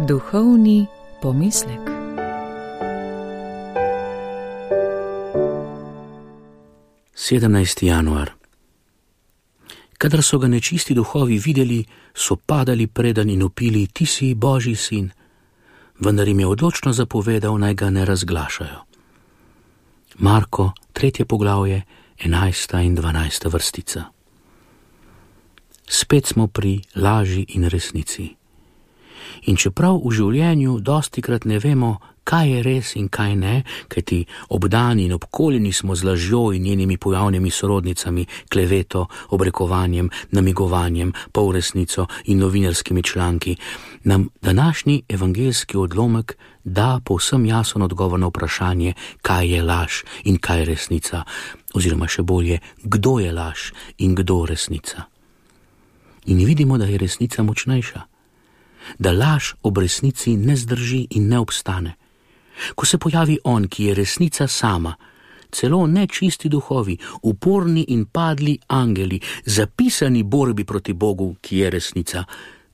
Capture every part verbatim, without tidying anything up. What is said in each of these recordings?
Duhovni pomislek. sedemnajsti januar. Kadar so ga nečisti duhovi videli, so padali predanj in vpili: ti si Božji sin, vendar jim je odločno zapovedal, naj ga ne razglašajo. Marko, tretje poglavje, enajsta in dvanajsta vrstica. Spet smo pri laži in resnici. In čeprav v življenju dostikrat ne vemo, kaj je res in kaj ne, kajti obdani in obkoljeni smo z lažjo in njenimi pojavnimi sorodnicami, kleveto, obrekovanjem, namigovanjem, polresnico in novinarskimi članki, nam današnji evangeljski odlomek da povsem jasen odgovor na vprašanje, kaj je laž in kaj je resnica, oziroma še bolje, kdo je laž in kdo resnica. In vidimo, da je resnica močnejša, da laž ob resnici ne zdrži in ne obstane. Ko se pojavi on, ki je resnica sama, celo nečisti duhovi, uporni in padli angeli, zapisani borbi proti Bogu, ki je resnica,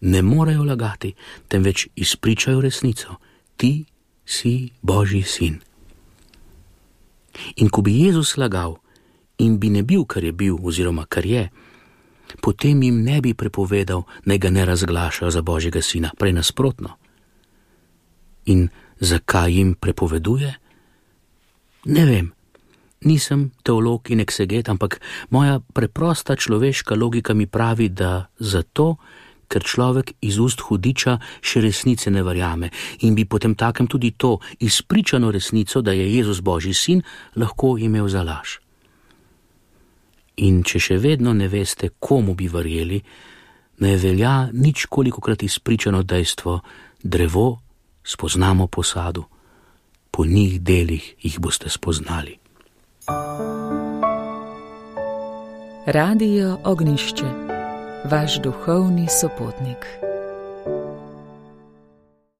ne morejo lagati, temveč izpričajo resnico. Ti si Božji sin. In ko bi Jezus lagal in bi ne bil, kar je bil oziroma kar je, potem jim ne bi prepovedal, naj ga ne razglašajo za Božjega sina, prej nasprotno. In zakaj jim prepoveduje? Ne vem, nisem teolog in ekseget, ampak moja preprosta človeška logika mi pravi, da zato, ker človek iz ust hudiča še resnice ne verjame in bi potem takem tudi to izpričano resnico, da je Jezus Božji sin, lahko imel za laž. In če še vedno ne veste, komu bi verjeli, ne velja nič kolikokrat izpričano dejstvo: drevo spoznamo po sadu, po njih delih jih boste spoznali. Radio Ognišče, vaš duhovni sopotnik.